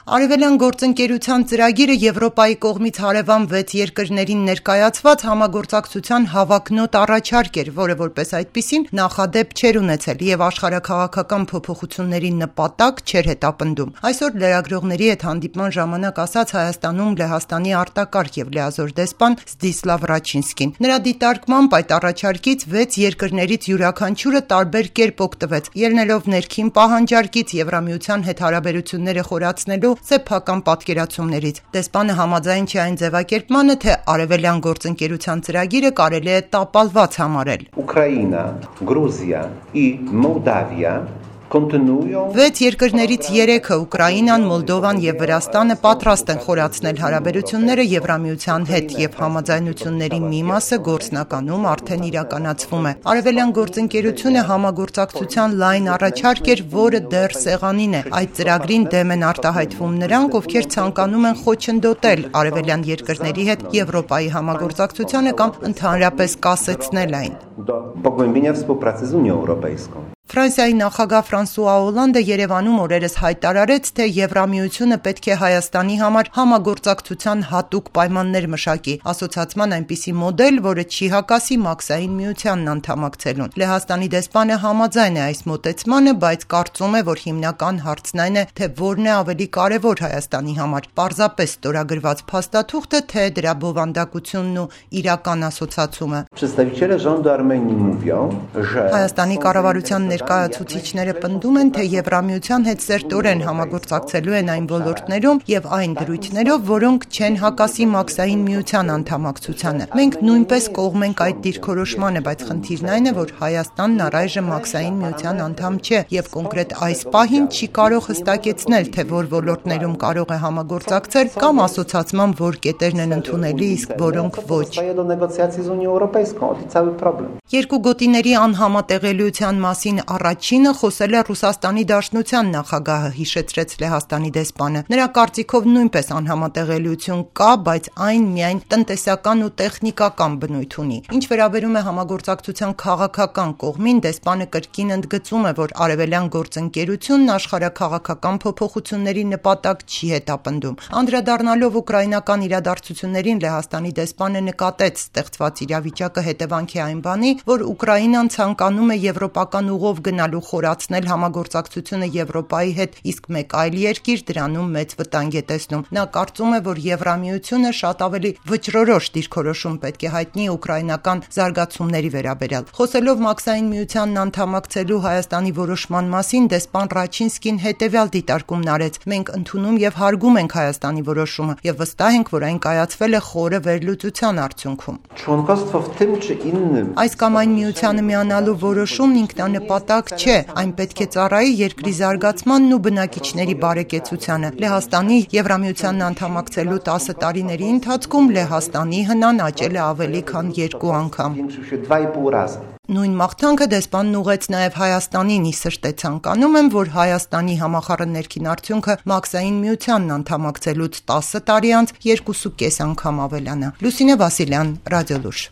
Արևելյան գործընկերության ծրագիրը Եվրոպայի կողմից հարևան 6 երկրներին ներկայացված համագործակցության հավակնոտ առաջարկ էր, որը որպես այդպիսին նախադեպ չէր ունեցել եւ աշխարհաքաղաքական փոփոխությունների նպատակ չէր հետապնդում։ Այսօր լրագրողների հետ հանդիպման ժամանակ ասաց Հայաստանում Լեհաստանի արտակարգ եւ լիազոր դեսպան Զդիսլավ Ռաչինսկին։ Նրա դիտարկմամբ այդ առաջարկից 6 երկրներից յուրաքանչյուրը տարբեր կերպ օգտվեց, ելնելով ներքին պահանջարկից Եվրամիության հետ հարաբերությունները խորացնելու սեփական պատկերացումներից։ Դեսպանը համաձայն չէ այն ձևակերպմանը, թե արևելյան գործընկերության ծրագիրը կարելի է տապալված համարել։ Ուկրաինա, Գրուզիա եւ Մոլդավիա 6 երկրներից 3-ը Ուկրաինան, Մոլդովան եւ Վրաստանը պատրաստ են խորացնել հարաբերությունները Եվրամիության հետ եւ համաձայնությունների մի մասը գործնականում արդեն իրականացվում է։ Արևելյան գործընկերությունը համագործակցության լայն առաջարկ էր, որը դեռ սեղանին է։ Այդ ծրագրին դեմ են արտահայտվում նրանք, ովքեր ցանկանում են խոչընդոտել արևելյան երկրների հետ Եվրոպայի համագործակցությանը կամ ընդհանրապես կասեցնել այն։ Ֆրանսիայի նախագահ Ֆրանսուଆ Օլանդը Երևանում օրերս հայտարարեց, թե Եվրամիությունը պետք է Հայաստանի համար համագործակցության հատուկ պայմաններ մշակի, ասոցացման այնպիսի մոդել, որը չի հակասի Մաքսային միությանն անդամակցելուն։ Լեհաստանի դեսպանը համաձայն է այս մոտեցմանը, բայց կարծում է, որ հիմնական հարցն այն է, թե որն է ավելի կարևոր Հայաստանի համար՝ պարզապես ստորագրված փաստաթուղթը, թե դրա բովանդակությունն ու իրական ասոցացումը։ Հայաստանի կառավարության ներկայացուցիչները պնդում են, թե Եվրամիության հետ սերտորեն համագործակցելու են այն ոլորտներում եւ այն դրույթներով, որոնք չեն հակասի Մաքսային միության անդամակցությանը։ Մենք նույնպես կողմ ենք այդ դիրքորոշմանը, բայց խնդիրն այն է, որ Հայաստանն առայժմ Մաքսային միության անդամ չէ եւ կոնկրետ այս պահին չի կարող հստակեցնել, թե որ ոլորտներում կարող է համագործակցել կամ ասոցացման որ կետերն են ընդունելի, իսկ որոնք ոչ։ Երկու գոտիների անհամատեղելիության մասին առաջինը խոսել է Ռուսաստանի Դաշնության նախագահը, հիշեցրեց Լեհաստանի դեսպանը։ Նրա կարծիքով նույնպես անհամատեղելիություն կա, բայց այն միայն տնտեսական ու տեխնիկական բնույթ ունի։ Ինչ վերաբերում է համագործակցության քաղաքական կողմին, դեսպանը կրկին ընդգծում է, որ արևելյան գործընկերությունն աշխարհաքաղաքական փոփոխությունների նպատակ չի հետապնդում։ Անդրադառնալով ուկրաինական իրադարձություններին, Լեհաստանի դեսպանը նկատեց ստեղծված իրավիճակը հետևանք է այն բանի, որ Ուկրաինան ցանկանում է եվրոպական ուղով գնալու խորացնել համագործակցությունը Եվրոպայի հետ, իսկ մեկ այլ երկիր դրանում մեծ վտանգ է տեսնում։ Նա կարծում է, որ Եվրամիությունը շատ ավելի վճռորոշ դիրքորոշում պետք է հայտնի ուկրաինական զարգացումների վերաբերյալ։ Խոսելով Մաքսային միությանն անդամակցելու Հայաստանի որոշման մասին, դեսպան Ռաչինսկին հետևյալ դիտարկումն արեց. մենք ընդունում եւ հարգում ենք Հայաստանի որոշումը եւ վստահ ենք, որ այն կայացվել է խորը վերլուծության արդյունքում։ Այս կամ այն միությանը միանալու որոշումն ինքնանպատակ չէ, այն պետք է ծառայի երկրի զարգացմանն ու բնակիչների բարեկեցությանը։ Լեհաստանի Եվրամիությանն անդամակցելու 10 տարիների ընթացքում Լեհաստանի հնան աճել է ավելի քան 2 անգամ։ Նույն մաղթանքը դեսպանն ուղեց նաև Հայաստանին, ի սրտե ցանկանում եմ, որ Հայաստանի համախառն ներքին արդյունքը Մաքսային միությանն անդամակցելուց 10 տարի անց 2.5 անգամ ավելանա։ Լուսինե Վասիլյան, Ռադիոլուր։